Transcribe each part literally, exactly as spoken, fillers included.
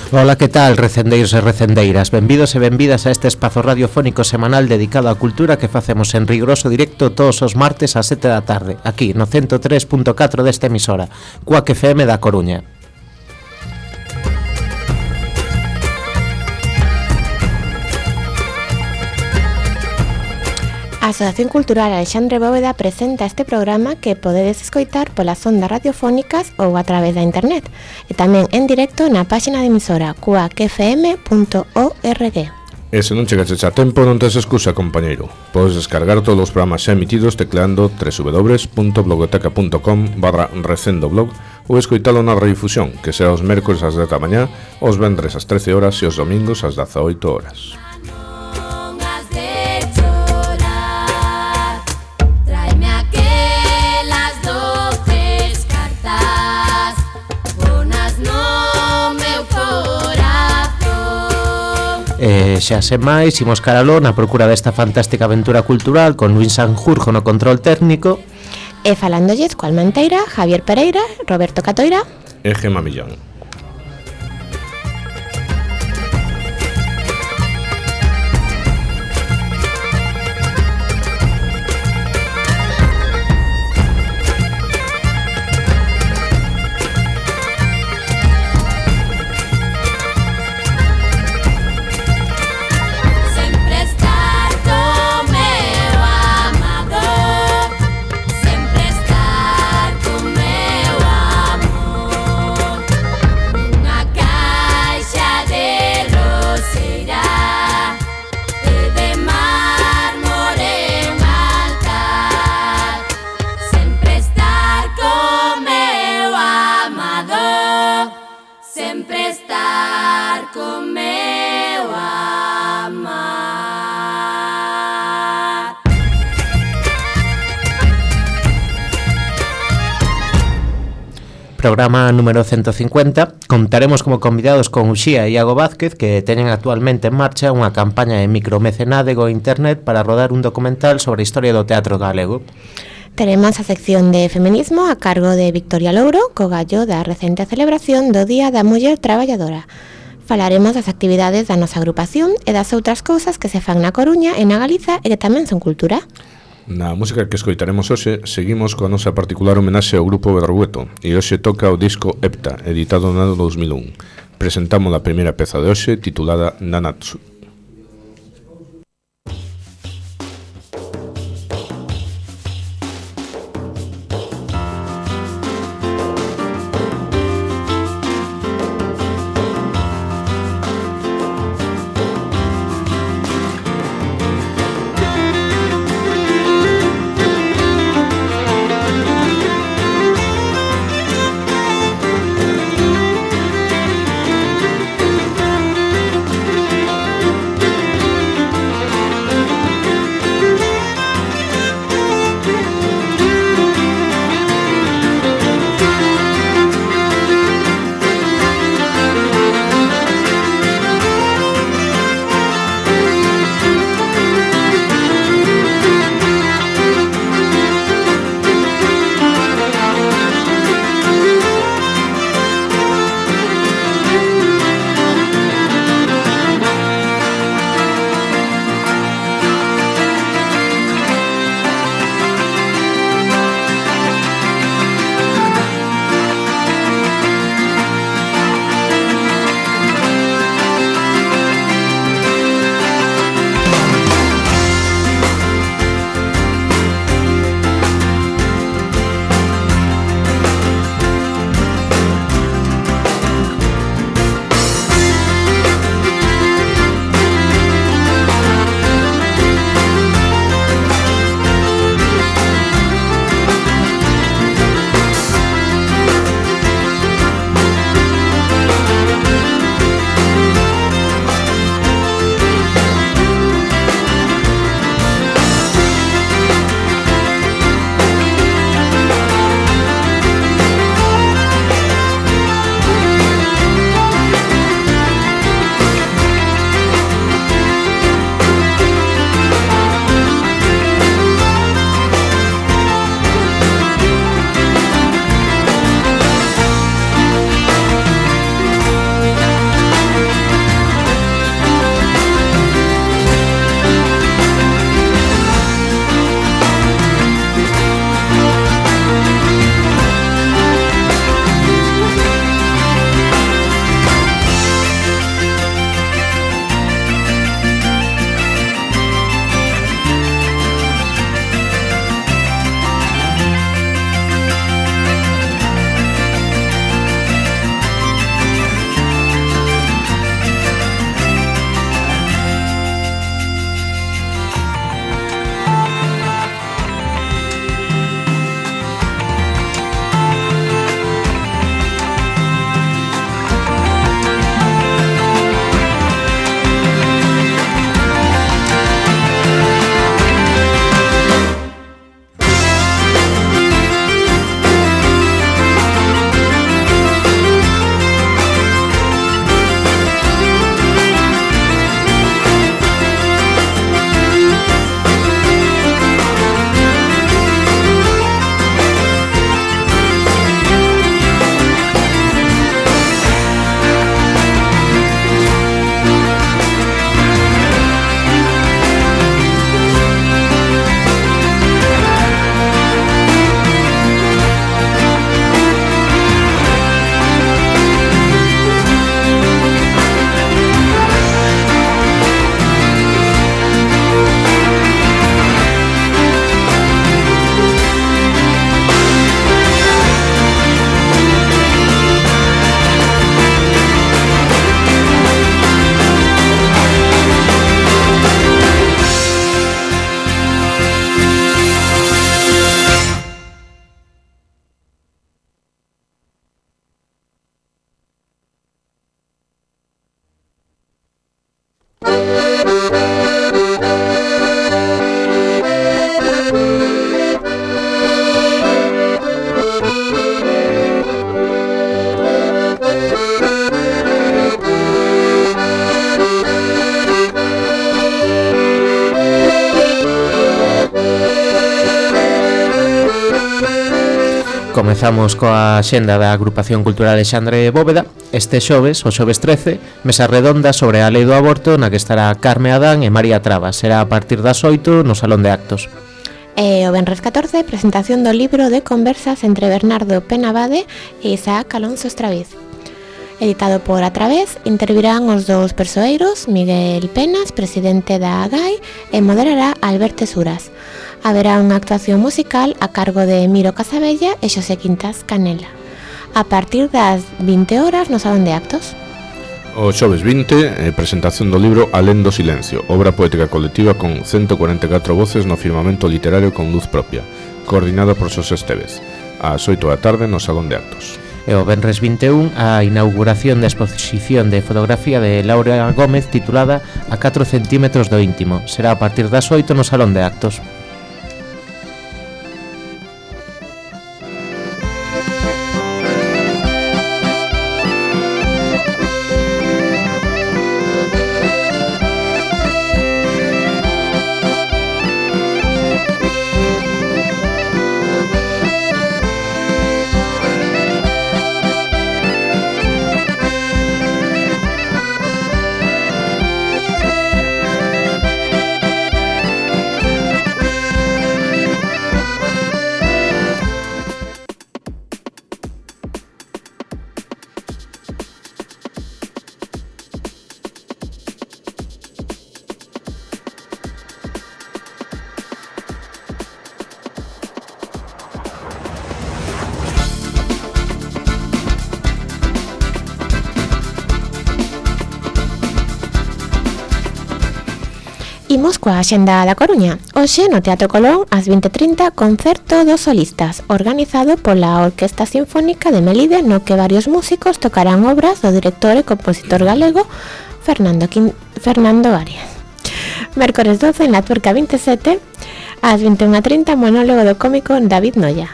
Ola, que tal, recendeiros e recendeiras? Benvidos e benvidas a este espazo radiofónico semanal dedicado á cultura que facemos en riguroso directo todos os martes ás sete da tarde, aquí no ciento tres punto catro desta emisora, Cuac F M da Coruña. A Asociación Cultural Alexandre Bóveda presenta este programa que podedes escoitar polas ondas radiofónicas ou a través da internet e tamén en directo na páxina de emisora cuac f m punto org. E se non chegaches a tempo non tes excusa, compañeiro. Podes descargar todos os programas xa emitidos tecleando w w w punto blogoteca punto com barra recendoblog ou escoitalo na redifusión, que sea os mércores ás dez da mañá, os vendres ás trece horas e os domingos ás dezaoito horas. E xa sen máis, imos caraló na procura desta fantástica aventura cultural con Luis Sanjurjo no control técnico e falándolles coa Almanteira, Javier Pereira, Roberto Catoira e Gema Millán. Programa número ciento cincuenta. Contaremos como convidados con Uxía e Iago Vázquez, que teñen actualmente en marcha unha campaña de micromecenádego internet para rodar un documental sobre a historia do teatro galego. Teremos a sección de feminismo a cargo de Victoria Louro, co gallo da recente celebración do Día da Muller Traballadora. Falaremos das actividades da nosa agrupación e das outras cousas que se fan na Coruña e na Galiza e que tamén son cultura. Na música que escoitaremos hoxe, seguimos coa nosa particular homenaxe ao grupo Berrueto e hoxe toca o disco Hepta, editado no ano dous mil un. Presentamos a primeira peza de hoxe, titulada Nanatsu. Comezamos coa xenda da Agrupación Cultural Alexandre Bóveda. Este xoves, o xoves trece, mesa redonda sobre a lei do aborto na que estará Carme Adán e María Trabas. Será a partir das oito no Salón de Actos. E o venres catorce, presentación do libro de conversas entre Bernardo Penabade e Isaac Alonso Estraviz. Editado por A Través, intervirán os dous persoeiros, Miguel Penas, presidente da A G A I, e moderará Alberto Suras. Haberá unha actuación musical a cargo de Miro Casabella e Xosé Quintas Canela, a partir das vinte horas no Salón de Actos. O xoves vinte, eh, presentación do libro Alén do Silencio, obra poética colectiva con ciento cuarenta e catro voces no firmamento literario con luz propia, coordinada por Xosé Estevez, ás oito da tarde no Salón de Actos. E o venres vinte e un, a inauguración da exposición de fotografía de Laura Gómez titulada A catro centímetros do íntimo. Será a partir das oito no Salón de Actos. Imos coa xenda da Coruña. Hoxe no Teatro Colón, ás vinte e trinta, concerto dos solistas, organizado pola Orquesta Sinfónica de Melide, no que varios músicos tocarán obras do director e compositor galego Fernando, Quin... Fernando Arias. Mércores doce, en la Tuerca vinte e sete, ás vinte e unha e trinta, monólogo do cómico David Noia.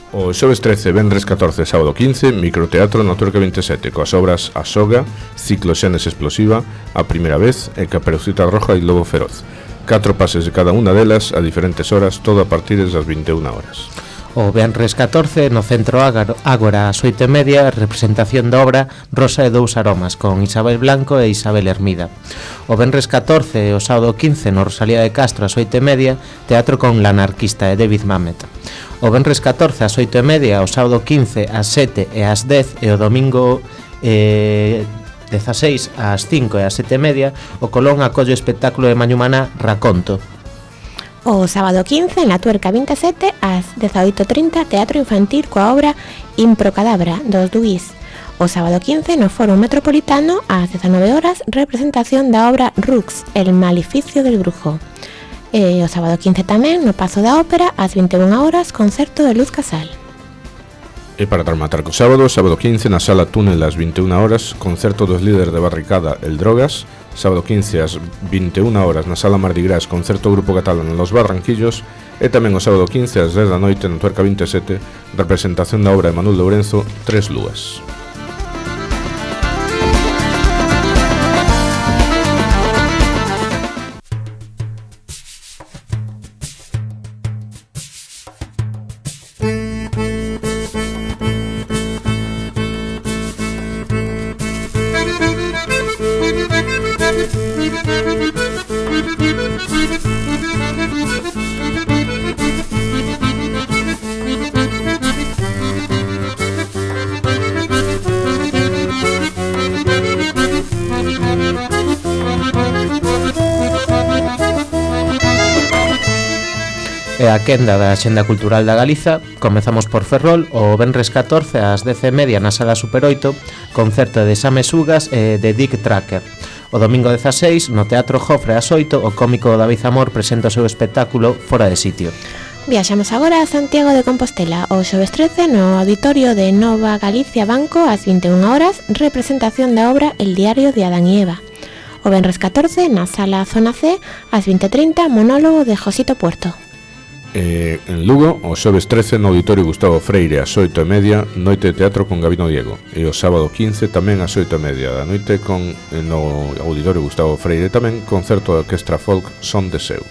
O xoves trece, venres catorce, sábado quince, microteatro na Tuerca vinte e sete, coas obras A Soga, Ciclo Xenes Explosiva, A Primeira Vez e Caperucita Roja e Lobo Feroz. Catro pases de cada unha delas a diferentes horas, todo a partir das vinte e unha horas. O venres catorce, no Centro Ágora, ás oito e media, representación da obra Rosa e dous aromas, con Isabel Blanco e Isabel Hermida. O venres catorce e o sábado quince, no Rosalía de Castro, ás oito e media, teatro con L'Anarquista e David Mamet. O venres catorce ás oito e media, o sábado quince ás sete e ás dez e o domingo eh, dezaseis ás cinco e ás sete e media, o Colón acolle o espectáculo de Mañumaná Raconto. O sábado quince, en la Tuerca vinte e sete, ás dezaoito e trinta, teatro infantil coa obra Improcadabra, dos Duís. O sábado quince, no Foro Metropolitano, ás dezanove horas, representación da obra Rux, El maleficio del brujo. E o sábado quince tamén, no Pazo da Ópera, ás vinte e unha horas, concerto de Luz Casal. E para rematar co sábado, sábado quince, na Sala Túnel ás vinte e unha horas, concerto dos líderes de Barricada, El Drogas. Sábado quince ás vinte e unha horas, na Sala Mardi Gras, concerto Grupo Catalán Los Barranquillos. E tamén o sábado quince ás dez da noite, na Tuerca vinte e sete, representación da obra de Manuel Lourenzo, Tres Lúas. E a quenda da Xenda Cultural da Galiza. Comezamos por Ferrol, o venres catorce ás dez e media na Sala Super oito, concerto de Same Sugas e de Dick Tracker. O domingo dezaseis, no Teatro Jofre ás oito, o cómico David Zamor presenta o seu espectáculo Fora de Sitio. Viaxamos agora a Santiago de Compostela. O xoves trece, no auditorio de Nova Galicia Banco, ás vinte e unha horas, representación da obra El diario de Adán y Eva. O venres catorce, na Sala Zona C, ás vinte e trinta, monólogo de Josito Puerto. Eh, en Lugo, o xoves trece, no Auditorio Gustavo Freire ás oito e media, noite de teatro con Gabino Diego. E o sábado quince tamén ás oito e media da noite con, no Auditorio Gustavo Freire tamén, concerto da Orquestra Folk Son de Seu.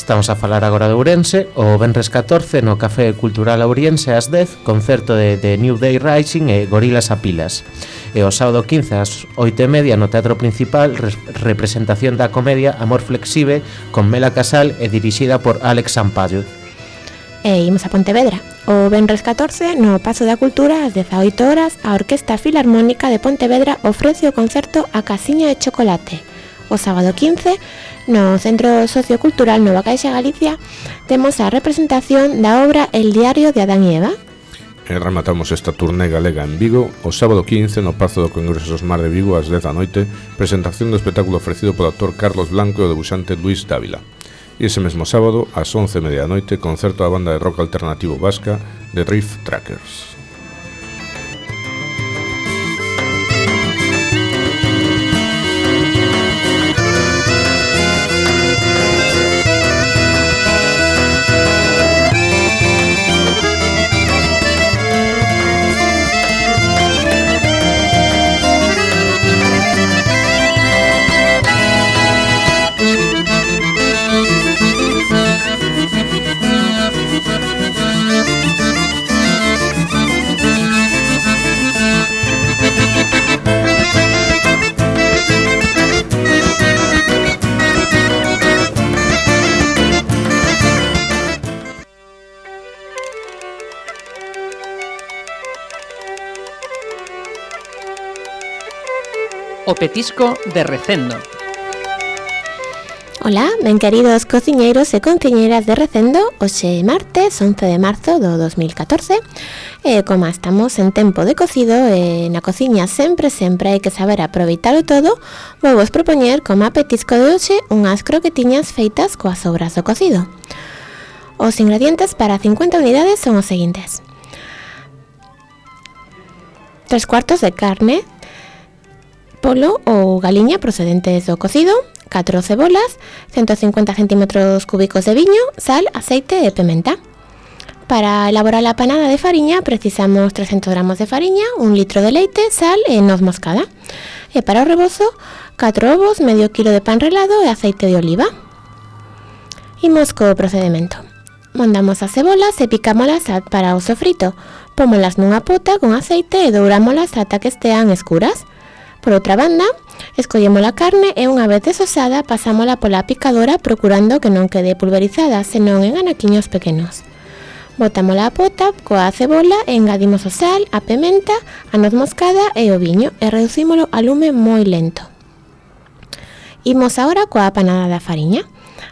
Estamos a falar agora de Ourense. O venres catorce no Café Cultural Ouriense ás dez, concerto de, de New Day Rising e Gorilas a Pilas. E o sábado quince ás oito e media no Teatro Principal, re representación da comedia Amor Flexible con Mela Casal e dirixida por Alex Sampaio. E imos a Pontevedra. O venres catorce no Pazo da Cultura ás dezaoito horas a Orquesta Filarmónica de Pontevedra ofrece o concerto A Casiña de Chocolate. O sábado quince, no Centro Sociocultural Nova Caixa Galicia, temos a representación da obra El Diario de Adán e Eva. E rematamos esta turné galega en Vigo o sábado quince no Pazo do Congreso Mar de Vigo ás dez da noite, presentación do espectáculo ofrecido polo actor Carlos Blanco e o debuxante Luis Dávila. E ese mesmo sábado, ás once e media da noite, concerto da banda de rock alternativo vasca The Riff Trackers. O petisco de Recendo. Ola, ben queridos cociñeiros e cociñeiras de Recendo. Hoxe é martes, once de marzo do dos mil catorce. E como estamos en tempo de cocido e na cociña sempre, sempre hai que saber aproveitalo todo, vou vos propoñer como a petisco de hoxe unhas croquetiñas feitas coas sobras do cocido. Os ingredientes para cincuenta unidades son os seguintes: tres cuartos de carne, polo ou galiña procedentes do cocido, catro cebolas, ciento cincuenta centímetros cúbicos de viño, sal, aceite e pimenta. Para elaborar a panada de fariña precisamos trescentos gramos de fariña, un litro de leite, sal e noz moscada. E para o rebozo, catro ovos, medio kilo de pan relado e aceite de oliva. Imos co procedimento. Mondamos as cebolas e picámolas para o sofrito. Pómolas nunha pota con aceite e dourámolas ata que estean escuras. Por outra banda, escollemos a carne e unha vez desosada pasámola pola picadora procurando que non quede pulverizada, senón en anaquiños pequenos. Botámola a pota coa cebola e engadimos o sal, a pimenta, a noz moscada e o viño e reducímolo a lume moi lento. Imos agora coa panada da fariña.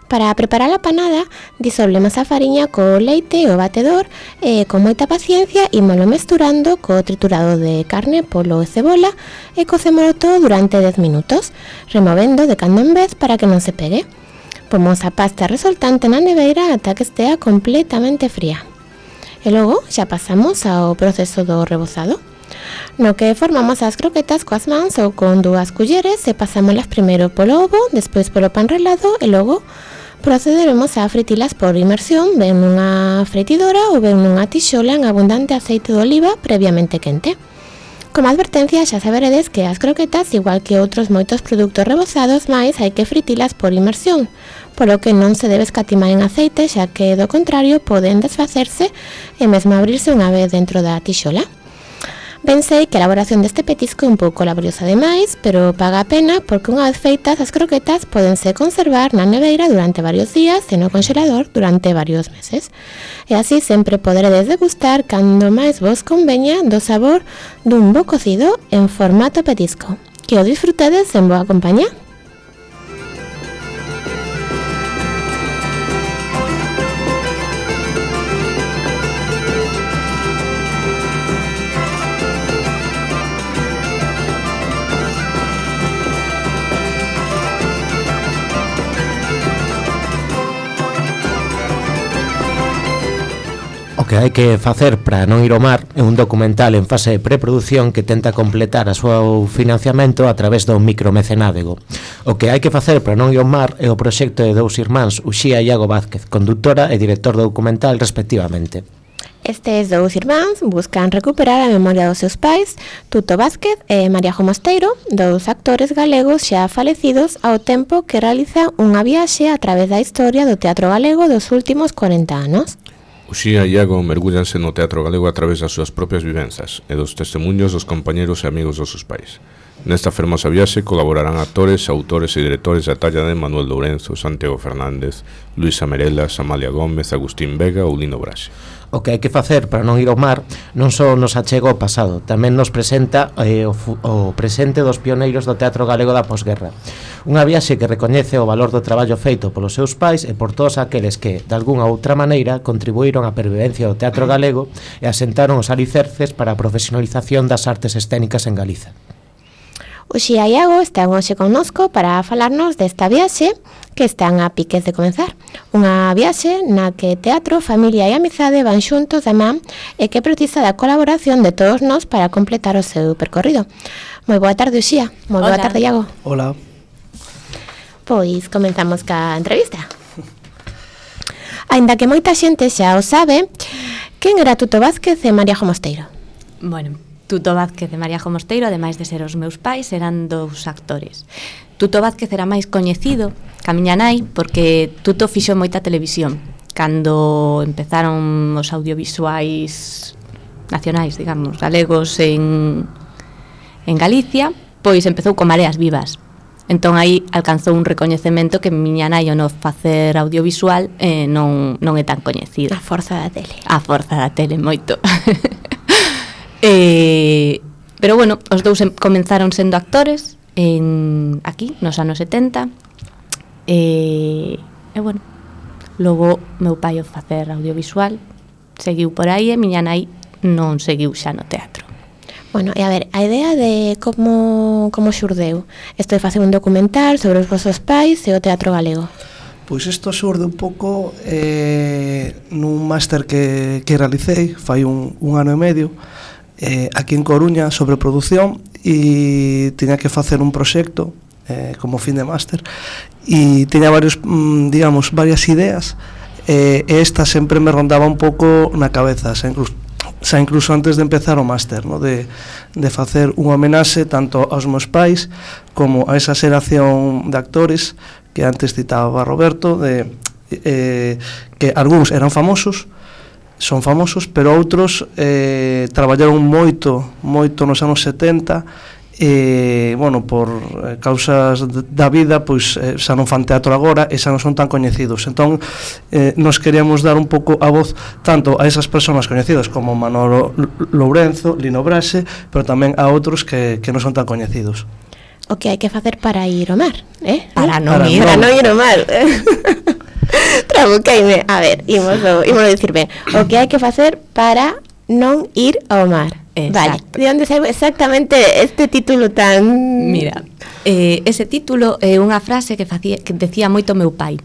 Para preparar a panada, disolvemos a fariña co leite e o batedor e con moita paciencia ímolo mesturando co triturado de carne, polo e cebola e cocémolo todo durante dez minutos, removendo de cando en vez para que non se pegue. Pomos a pasta resultante na neveira ata que estea completamente fría. E logo xa pasamos ao proceso do rebozado, no que formamos as croquetas coas mans ou con dúas culleres e pasámolas primeiro polo ovo, despois polo pan relado e logo procederemos a fritilas por inmersión, ben nunha fritidora ou ben nunha tixola en abundante aceite de oliva previamente quente. Como advertencia, xa saberedes que as croquetas, igual que outros moitos produtos rebozados, máis hai que fritilas por inmersión, polo que non se debe escatimar en aceite, xa que do contrario poden desfacerse e mesmo abrirse unha vez dentro da tixola. Ben sei que a elaboración deste petisco é un pouco laboriosa demais, pero paga a pena porque unha vez feitas as croquetas pódense conservar na neveira durante varios días e no congelador durante varios meses. E así sempre poderedes degustar cando máis vos conveña do sabor dun bo cocido en formato petisco. Que o disfrutedes en boa compañía. O que hai que facer para non ir ao mar é un documental en fase de preproducción que tenta completar a súa financiamento a través do micromecenádego. O que hai que facer para non ir ao mar é o proxecto de dous irmáns, Uxía e Iago Vázquez, conductora e director do documental respectivamente. Estes dous irmáns buscan recuperar a memoria dos seus pais, Tuto Vázquez e María Jo Mosteiro, dous actores galegos xa falecidos ao tempo que realizan unha viaxe a través da historia do teatro galego dos últimos corenta anos. Uxía e Iago mergullanse no teatro galego a través das súas propias vivenzas e dos testemunhos dos compañeros e amigos dos seus pais. Nesta fermosa viaxe colaborarán actores, autores e directores da talla de Manuel Lourenzo, Santiago Fernández, Luisa Merelas, Amalia Gómez, Agustín Vega ou Lino Brase. O que hai que facer para non ir ao mar non só nos achega ao pasado, tamén nos presenta eh, o, o presente dos pioneiros do teatro galego da posguerra. Unha viaxe que recoñece o valor do traballo feito polos seus pais e por todos aqueles que, de algunha outra maneira, contribuíron á pervivencia do teatro galego e asentaron os alicerces para a profesionalización das artes escénicas en Galiza. Uxía e Iago están hoxe connosco para falarnos desta viaxe que están a piques de comenzar. Unha viaxe na que teatro, familia e amizade van xuntos da man e que precisa da colaboración de todos nós para completar o seu percorrido. Moi boa tarde, Uxía. Moi boa tarde, Iago. Hola. Pois comenzamos ca entrevista. Aínda que moita xente xa o sabe, quen era Tuto Vázquez e María Jo Mosteiro? Bueno, Tuto Vázquez e María Jo Mosteiro, ademais de ser os meus pais, eran dous actores. Tuto Vázquez era máis coñecido que a miña nai porque Tuto fixo moita televisión cando empezaron os audiovisuais nacionais, digamos, galegos en, en Galicia, pois empezou con Mareas Vivas. Entón aí alcanzou un recoñecemento que miña nai ao non facer audiovisual eh, non, non é tan coñecido. A forza da tele. A forza da tele, moito. Eh, pero bueno, os dous comenzaron sendo actores en, aquí, nos anos setenta e, e bueno, logo meu pai o facer audiovisual seguiu por aí e miña nai non seguiu xa no teatro. Bueno, e a ver, a idea de como, como xurdeu isto de facer un documental sobre os vosos pais e o teatro galego. Pois isto xurde un pouco eh, nun máster que, que realicei fai un, un ano e medio Eh, aquí en Coruña sobre produción e tiña que facer un proxecto eh, como fin de máster e tiña varios, mm, digamos, varias ideas eh, e esta sempre me rondaba un pouco na cabeza, xa incluso, xa incluso antes de empezar o máster, ¿no? de, de facer unha homenaxe tanto aos meus pais como a esa xeración de actores que antes citaba Roberto, de, eh, que algúns eran famosos, son famosos, pero outros eh, traballaron moito, moito nos anos setenta e, bueno, por eh, causas da vida, pois eh, xa non fan teatro agora e xa non son tan coñecidos. Entón, eh, nos queríamos dar un pouco a voz tanto a esas persoas coñecidas como Manolo Lourenzo, Lino Brase, pero tamén a outros que, que non son tan coñecidos. O que hai que facer para ir ao mar, eh? Para non para ir. Para non ir ao mar. Trabuqueime. A ver, imos a dicir ben. O que hai que facer para non ir ao mar. Exacto. Vale, de onde saiu exactamente este título tan... Mira, eh, ese título é unha frase que, facía, que decía moito meu pai,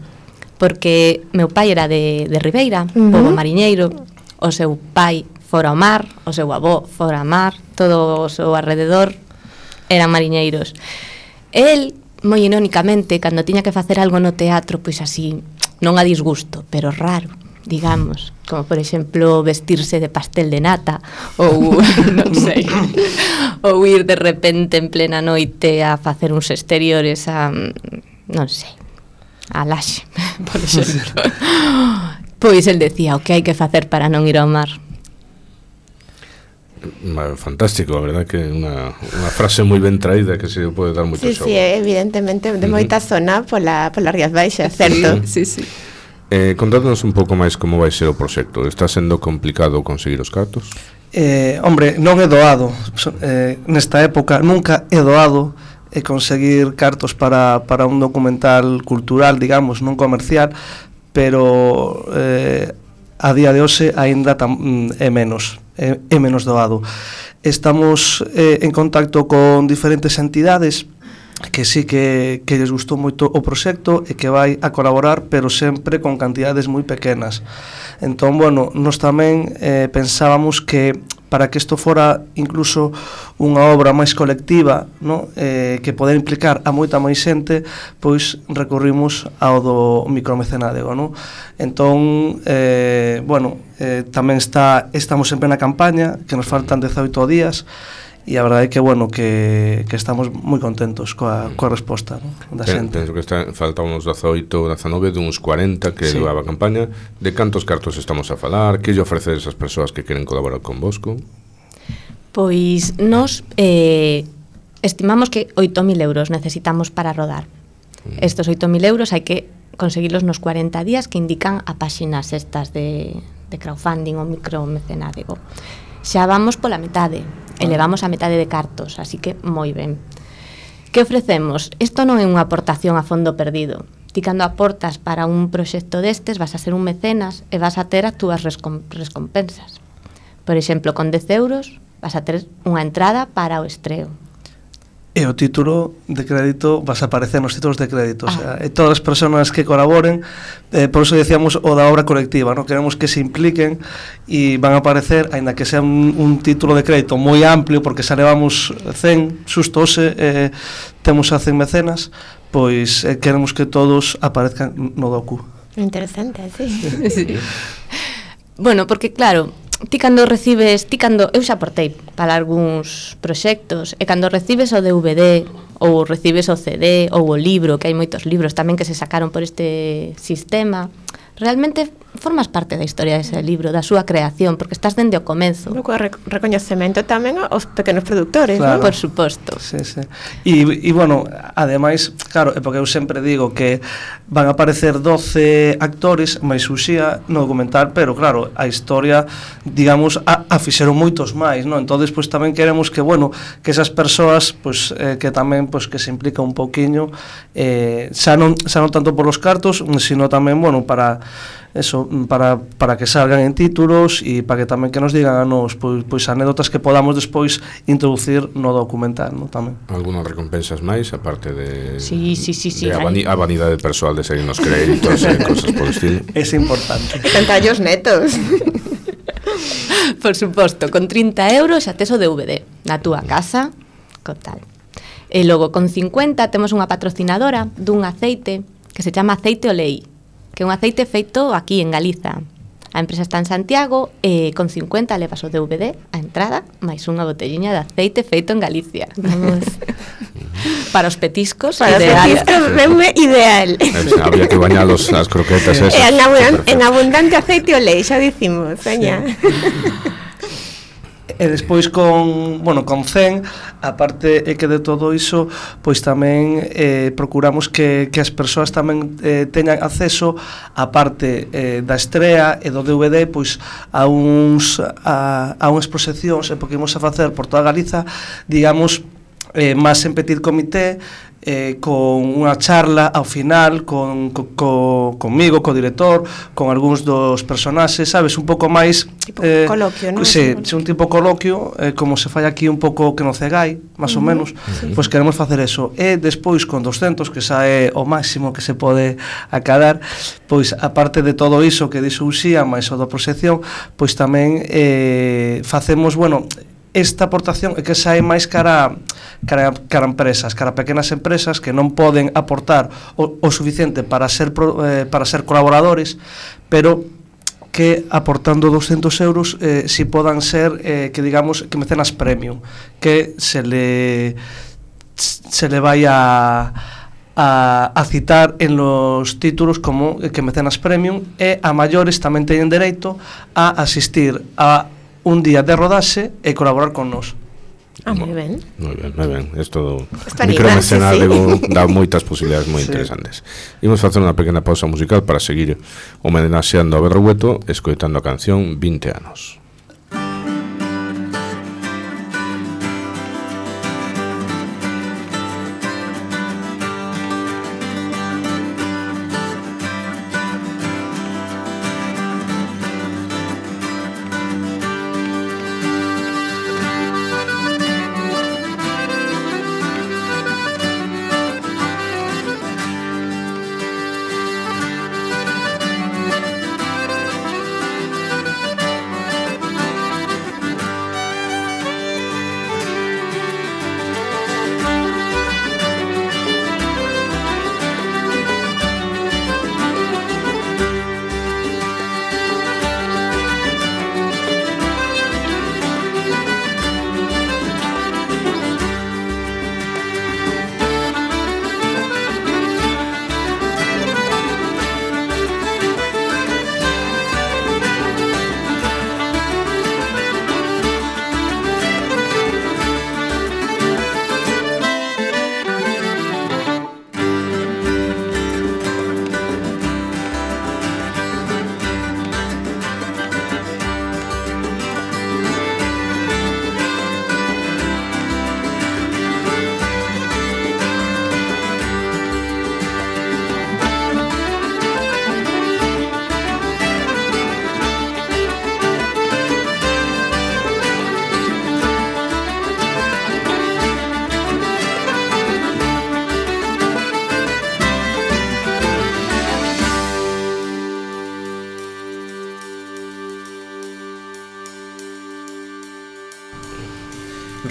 porque meu pai era de, de Ribeira, uh-huh. pobo mariñeiro, o seu pai fora ao mar, o seu avó fora ao mar, todo o seu alrededor eran mariñeiros. El, moi irónicamente, cando tiña que facer algo no teatro, pois así, non a disgusto, pero raro, digamos, como por exemplo vestirse de pastel de nata ou non sei, ou ir de repente en plena noite a facer uns exteriores a, non sei, a Laxe, por exemplo. Pois el decía o que hai que facer para non ir ao mar. Fantástico, a verdad que é unha, unha frase moi ben traída que se pode dar moito sí, xogo. Sí, evidentemente de moita uh-huh. zona pola, pola Rías Baixas, certo? Sí, sí. Eh, contádnos un pouco máis como vai ser o proxecto. Está sendo complicado conseguir os cartos? Eh, hombre, non é doado. Eh, nesta época nunca é doado eh, conseguir cartos para, para un documental cultural, digamos, non comercial, pero eh, a día de hoxe aínda tam, é menos, é, é menos doado. Estamos eh, en contacto con diferentes entidades que sí que, que les gustou moito o proxecto e que vai a colaborar, pero sempre con cantidades moi pequenas. Entón, bueno, nós tamén eh, pensábamos que para que isto fora incluso unha obra máis colectiva, no? eh, que poder implicar a moita máis xente, pois recorrimos ao do micromecenádego, no? Entón, eh, bueno, eh, tamén está, estamos en plena campaña, que nos faltan dezaoito días, e a verdade é que, bueno, que, que estamos moi contentos coa, coa resposta, no? Da xente. Penso que está, falta uns dezaoito, dezanove, duns cuarenta que sí. levaba a campaña. De cantos cartos estamos a falar? Que lle ofrecer esas persoas que queren colaborar con Bosco? Pois nos eh, estimamos que oito mil euros necesitamos para rodar. Mm. Estos oito mil euros hai que conseguirlos nos cuarenta días que indican a páxinas estas de, de crowdfunding ou micromecenádego. Xa vamos pola metade, elevamos a metade de cartos, así que moi ben. Que ofrecemos? Isto non é unha aportación a fondo perdido. Ti cando aportas para un proxecto destes vas a ser un mecenas e vas a ter as túas recompensas. Por exemplo, con dez euros vas a ter unha entrada para o estreo. E o título de crédito vas a aparecer nos títulos de crédito, ah. o sea, e todas as persoas que colaboren, eh, por eso decíamos o da obra colectiva, ¿no? Queremos que se impliquen e van a aparecer, aínda que sea un, un título de crédito moi amplio, porque xa levamos cen, susto ose, eh, temos a cen mecenas, pois eh, queremos que todos aparezcan no docu. Interesante, sí. Sí. Bueno, porque claro, ti cando recibes, ti cando, eu xa aportei para algúns proxectos, e cando recibes o D V D, ou recibes o C D, ou o libro, que hai moitos libros tamén que se sacaron por este sistema, realmente formas parte da historia dese libro, da súa creación, porque estás dende o comenzo. Co rec recoñecemento tamén aos pequenos produtores, claro. ¿no? Por suposto. Sí, sí. E, e bueno, ademais, claro, é porque eu sempre digo que van a aparecer doce actores máis Uxía no documental, pero claro, a historia, digamos, a, a fixeron moitos máis, non? Entonces, pois tamén queremos que, bueno, que esas persoas, pois eh, que tamén pois que se implica un pouquiño, eh, xa non xa non tanto por los cartos, sino tamén, bueno, para eso, para, para que salgan en títulos e para que tamén que nos digan a nos pois, pois anécdotas que podamos despois introducir no documental, no, tamén. Algunas recompensas máis, aparte de, sí, sí, sí, sí, de a, vani, a vanidade persoal de seguir nos créditos e cosas por estilo. Es importante. Cantallos netos. Por suposto, con trinta euros xa tes o D V D na túa casa, con tal. E logo, con cincuenta, temos unha patrocinadora dun aceite que se chama Aceite Olei, que é un aceite feito aquí en Galiza. A empresa está en Santiago e con cincuenta levas o D V D, a entrada, máis unha botelliña de aceite feito en Galicia. Vamos. Para os petiscos, para ideal. Os petiscos, veume ideal. Habría que bañalos as croquetas esas. En, abundante, en abundante aceite olei, xa dicimos, veña. Sí. E despois con, bueno, con cen, aparte é que de todo iso, pois tamén eh, procuramos que, que as persoas tamén eh, teñan acceso a parte eh, da estrea e do D V D, pois a uns a, a unhas proxeccións, porque imos a facer por toda Galiza, digamos, eh, máis en petit comité, eh, con unha charla ao final con, co, co, conmigo, co director, con algúns dos personaxes, sabes, un pouco máis tipo eh, coloquio, non? Sí, sí, un tipo coloquio, eh, como se fai aquí un pouco que no Cegai, máis uh -huh. ou menos, sí. Pois queremos facer eso. E despois con doscentos, que xa é o máximo que se pode acadar, pois aparte de todo iso que dixo Uxía, máis o da proxección, pois tamén eh, facemos, bueno, esta aportación é que xa é máis cara, cara, cara empresas, cara pequenas empresas que non poden aportar o, o suficiente para ser, pro, eh, para ser colaboradores, pero que aportando doscentos euros eh, si podan ser, eh, que digamos, que mecenas premium, que se le, se le vai a... A, a citar en los títulos como que mecenas premium, e a maiores tamén teñen dereito a asistir a un día de rodaxe e colaborar con nós. Ah, moi ben. Moi ben, moi ben. Isto micromecenádego sí. Dá moitas posibilidades moi sí. interesantes. Imos facer unha pequena pausa musical para seguir homenaxeando a Berrueto, escoitando a canción vinte anos.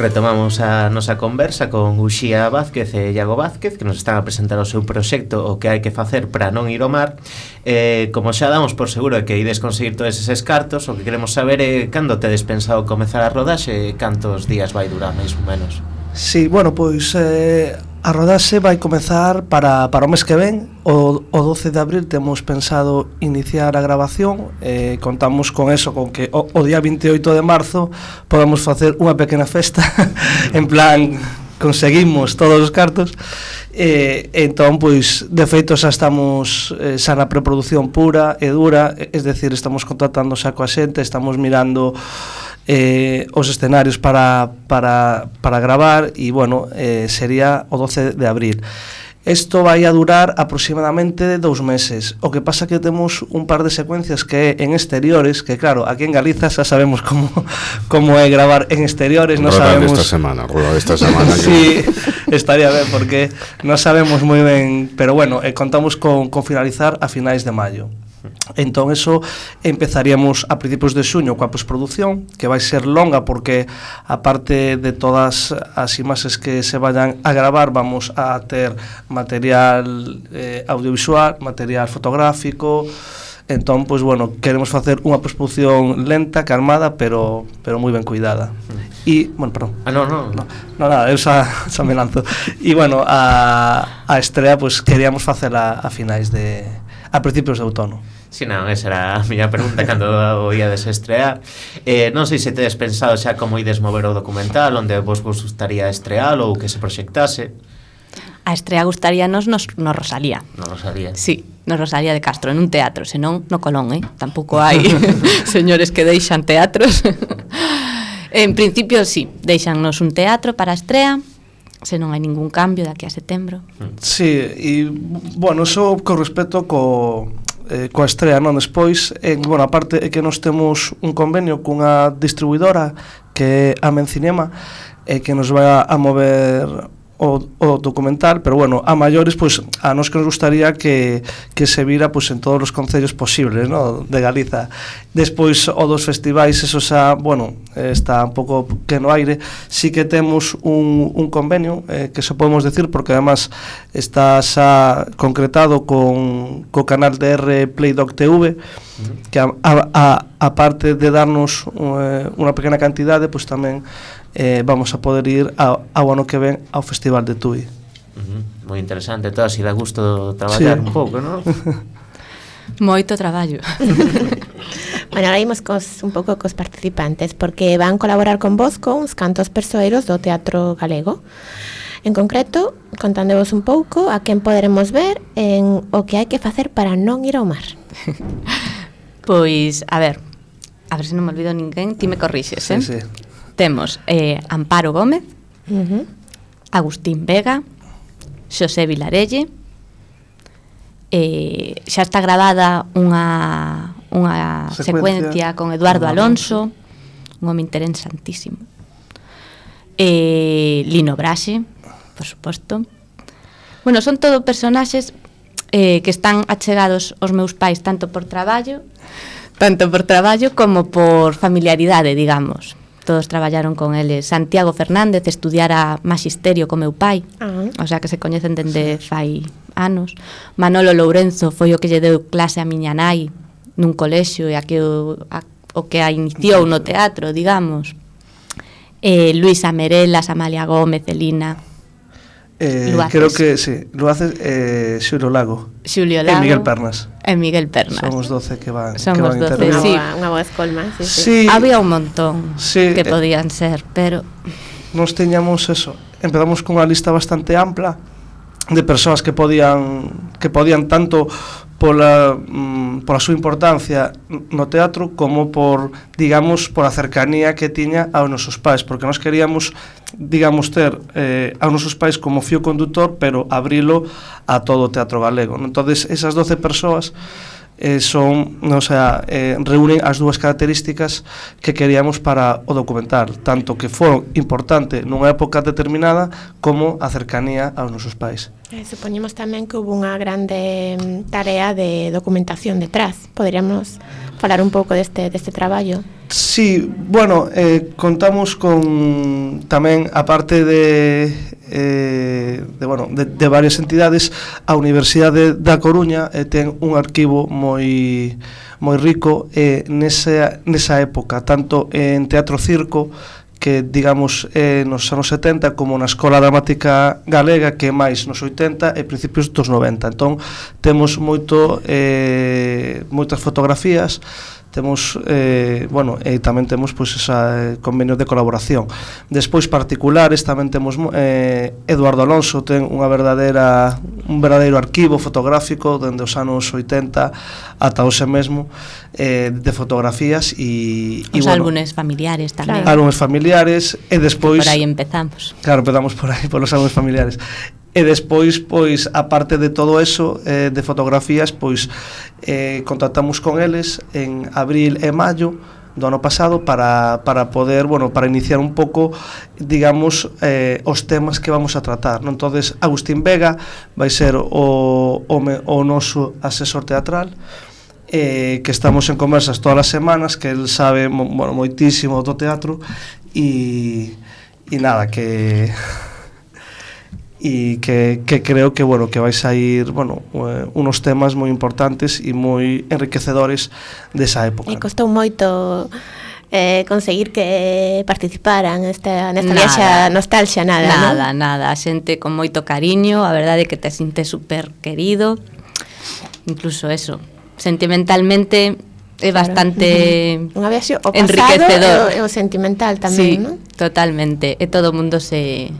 Retomamos a nosa conversa con Uxía Vázquez e Iago Vázquez, que nos están a presentar o seu proxecto O que hai que facer para non ir ao mar. eh, Como xa damos por seguro de que ides conseguir todos eses cartos, o que queremos saber é cando tedes pensado comezar a rodaxe e cantos días vai durar, máis ou menos. Sí, bueno, pois eh, a rodaxe vai comezar para, para o mes que ven. O, o doce de abril temos pensado iniciar a grabación. eh, Contamos con eso, con que o, o día vinte e oito de marzo podamos facer unha pequena festa. En plan, conseguimos todos os cartos. eh, Entón, pois, de feito xa estamos eh, xa na preproducción pura e dura. Es decir, estamos contratando xa coa xente, estamos mirando Eh, os escenarios para, para, para gravar e, bueno, eh, sería o doce de abril. Isto vai a durar aproximadamente dous meses. O que pasa que temos un par de secuencias que é en exteriores, que claro, aquí en Galiza xa sabemos como, como é gravar en exteriores. No Rodar sabemos... esta semana, rodar esta semana. Sí, estaría ben, porque non sabemos moi ben, pero bueno, eh, contamos con, con finalizar a finais de maio. Entón, eso empezaríamos a principios de xuño coa postproducción, que vai ser longa porque aparte de todas as imaxes que se vayan a gravar, vamos a ter material eh, audiovisual, material fotográfico. Entón, pois, bueno, queremos facer unha postproducción lenta, calmada, pero pero moi ben cuidada. E, bueno, perdón. Ah, no, no. No, no nada, eu xa, xa me lanzo. E, bueno, a, a estrea, pois, queríamos facela a finais de... a principios de outono. Si, non, esa era a miña pregunta cando o iades estrear. eh, Non sei se tedes pensado xa como ides mover o documental, onde vos vos gustaría estrealo ou que se proxectase. A estrea gustaríanos nos, no Rosalía. Non lo sabía. Sí, no Rosalía de Castro, en un teatro, senón no Colón, eh? Tampouco hai señores que deixan teatros. En principio, sí, deixannos un teatro para a estrea, se non hai ningún cambio daqui a setembro. Sí, e, bueno, eso con respecto co... Eh, coa estrea, non? Despois, en, bueno, aparte é que nos temos un convenio cunha distribuidora que é a Mencinema, e que nos vai a, a mover o, o documental, pero bueno, a maiores, pois, a nos que nos gustaría que, que se vira, pois, en todos os concellos posibles, no? De Galiza. Despois, o dos festivais, eso xa, bueno, está un pouco que no aire. Sí que temos un, un convenio, eh, que se podemos decir, porque además está xa concretado con co canal de R Playdoc T V, que a, a, a, a parte de darnos uh, unha pequena cantidade, pois tamén eh, vamos a poder ir ao, ao ano que ven ao Festival de Tui. Uh-huh. Moi interesante, todo así dá gusto traballar sí. un pouco, non? Moito traballo. Bueno, ahora imos cos, un pouco cos participantes, porque van colaborar con vos con uns cantos persoeiros do Teatro Galego. En concreto, contándevos un pouco a quen poderemos ver en o que hai que facer para non ir ao mar. Pois, a ver, a ver se non me olvido ninguén, ti me corrixes, eh? Sí, sí. Temos eh, Amparo Gómez, Uh-huh. Agustín Vega, Xosé Vilarelle, eh, xa está grabada unha, unha secuencia. secuencia con Eduardo Alonso, un home interesantísimo, eh, Lino Braxe, por suposto. Bueno, son todo personaxes eh, que están achegados aos meus pais tanto por traballo tanto por traballo como por familiaridade, digamos. Todos traballaron con eles. Santiago Fernández estudiara magisterio co meu pai, uh-huh. O sea que se coñecen dende fai anos. Manolo Lourenzo foi o que lle deu clase a miña nai nun colexio e a que o, a, o que a iniciou no teatro, digamos. Eh, Luisa Merelas, Amalia Gómez, Elina. Eh, creo que sí, lo hace eh, Xulio Lago. Xulio Lago. E Miguel Pernas. E Miguel Pernas. Son os doce que van, Son que os van doce, intervenir. sí. Unha boa escolma, sí, sí. Sí. Había un montón Sí, que eh, podían ser, pero nos teñamos eso. Empezamos con unha lista bastante ampla de persoas que podían que podían tanto pola mm, pola súa importancia no teatro como por, digamos, por a cercanía que tiña aos nosos pais, porque nós queríamos, digamos, ter eh, aos nosos pais como fío conductor, pero abrilo a todo o teatro galego. Entonces, esas doce persoas eh, son, o sea, eh, reúnen as dúas características que queríamos para o documental, tanto que foron importante nunha época determinada como a cercanía aos nosos pais. Eh, supoñemos tamén que hubo unha grande tarea de documentación detrás. Poderíamos falar un pouco deste, deste traballo. Sí, bueno, eh, contamos con tamén, aparte de, eh, de, bueno, de, de varias entidades, a Universidade da Coruña eh, ten un arquivo moi moi rico eh, nesa, nesa época, tanto en teatro circo, que digamos eh, nos anos setenta, como na Escola Dramática Galega, que é máis nos oitenta e principios dos noventa. Entón temos moito eh, moitas fotografías, temos eh, bueno, e tamén temos pois esa eh, convenios de colaboración. Despois particulares tamén temos eh, Eduardo Alonso ten unha verdadeira un verdadeiro arquivo fotográfico dende os anos oitenta ata hoxe mesmo eh, de fotografías e os bueno, álbumes familiares tamén. Claro. Álbumes familiares e despois por aí empezamos. Claro, empezamos por aí polos álbumes familiares. E despois, pois, aparte de todo eso eh, de fotografías, pois eh, contactamos con eles en abril e maio do ano pasado para, para poder, bueno, para iniciar un pouco, digamos, eh, os temas que vamos a tratar, non? Entonces, Agustín Vega vai ser o, o, o noso asesor teatral, eh, que estamos en conversas todas as semanas, que el sabe, bueno, moitísimo do teatro, e, e nada, que... e que, que creo que bueno que vais a ir bueno eh, unos temas moi importantes e moi enriquecedores desa época. E costou moito eh, conseguir que participaran nesta, nesta Nada. viaxa nostalgia, nada, Nada, non? nada, a xente con moito cariño, a verdade é que te sintes super querido, incluso eso, sentimentalmente é bastante Unha viaxe o pasado enriquecedor. e o, e o sentimental tamén, Sí, non? totalmente, e todo o mundo se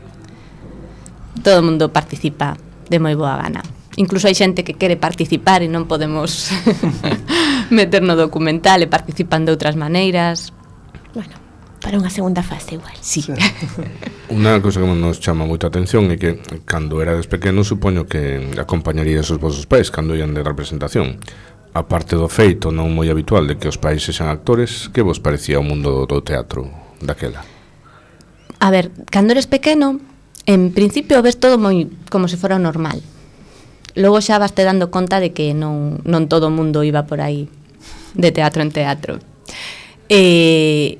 todo o mundo participa de moi boa gana. Incluso hai xente que quere participar e non podemos meter no documental e participan de outras maneiras. Bueno, para unha segunda fase igual. Sí. Sí. Unha cousa que nos chama moita atención é que cando erades pequenos supoño que acompañarías os vosos pais cando ian de representación. A parte do feito non moi habitual de que os pais sexan actores, que vos parecía o mundo do teatro daquela? A ver, cando eres pequeno, en principio ves todo moi como se fora normal. Logo xa vas te dando conta de que non, non todo o mundo iba por aí de teatro en teatro. E...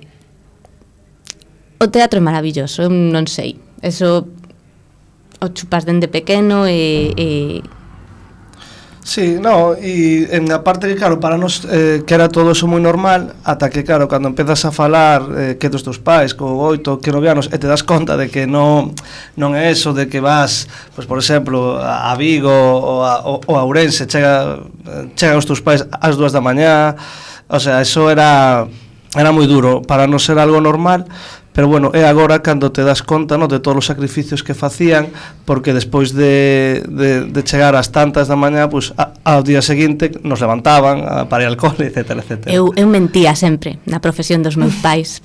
O teatro é maravilloso, eu non sei. Eso o chupas dende pequeno e... e Sí, no, e en a parte que claro, para nos eh, que era todo eso moi normal, ata que claro, cando empezas a falar eh, que dos teus pais con oito, que nove anos, e te das conta de que non non é eso de que vas, pois por exemplo, a Vigo ou a, ou a Ourense, chega chegan os teus pais ás dúas da mañá, o sea, eso era era moi duro, para non ser algo normal. Pero bueno, é agora cando te das conta, no, de todos os sacrificios que facían, porque despois de, de, de chegar ás tantas da mañá, pues, a, ao día seguinte nos levantaban a, para ir al cole, etcétera, etcétera. Eu, eu mentía sempre na profesión dos meus pais,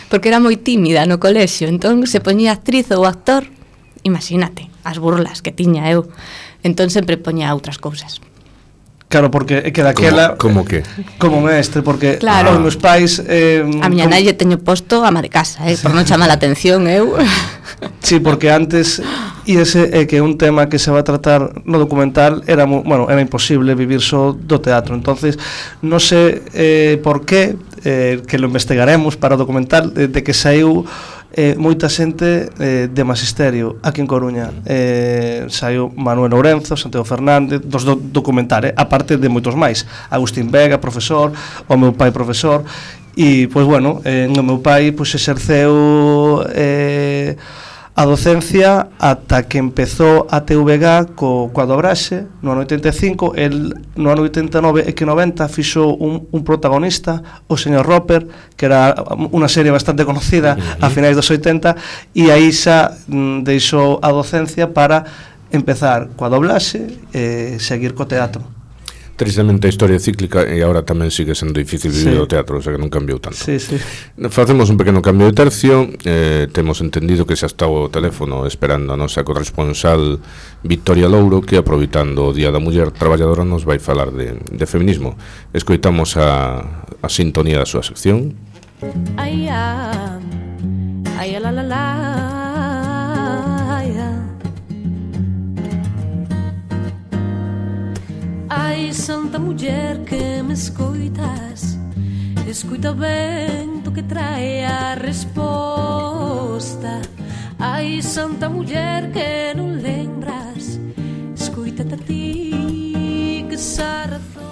porque era moi tímida no colexio, entón se poñía actriz ou actor, imagínate, as burlas que tiña eu, entón sempre poñía outras cousas. Claro, porque é que daquela... Como, como que? Como mestre, porque Claro. os meus pais... Eh, A miña como, nai lle teño posto ama de casa, eh, por non chamar a atención, eu... Sí, porque antes, e ese é que un tema que se va a tratar no documental, era, bueno, era imposible vivir só do teatro. Entonces, non sei eh, por qué, eh, que lo investigaremos para o documental, de, de que saiu eh, moita xente eh, de magisterio aquí en Coruña. Eh, saiu Manuel Ourenzo, Santiago Fernández, dos do documental, eh, aparte de moitos máis. Agustín Vega, profesor, o meu pai profesor, e, pois, bueno, eh, o meu pai pois, exerceu eh, a docencia ata que empezou a T V G co, coa dobraxe no ano oitenta e cinco. El no ano oitenta e nove e que noventa fixo un, un protagonista, o señor Roper, que era unha serie bastante conocida a finais dos oitenta, e aí xa mm, deixou a docencia para empezar coa doblaxe e seguir co teatro. Tristemente a historia é cíclica e agora tamén sigue sendo difícil vivir Sí. o teatro, o sea que non cambiou tanto. Sí, sí. Facemos un pequeno cambio de tercio, eh, temos entendido que xa está o teléfono esperando a nosa corresponsal Victoria Louro, que aproveitando o Día da Muller Traballadora nos vai falar de, de feminismo. Escoitamos a, a sintonía da súa sección. Ai, ah, ai, la, la, la, ai, ah. Ai, santa muller que me escoitas, Escuita o vento que trae a resposta. Ai, santa muller que non lembras, escuítate a ti que xa razón.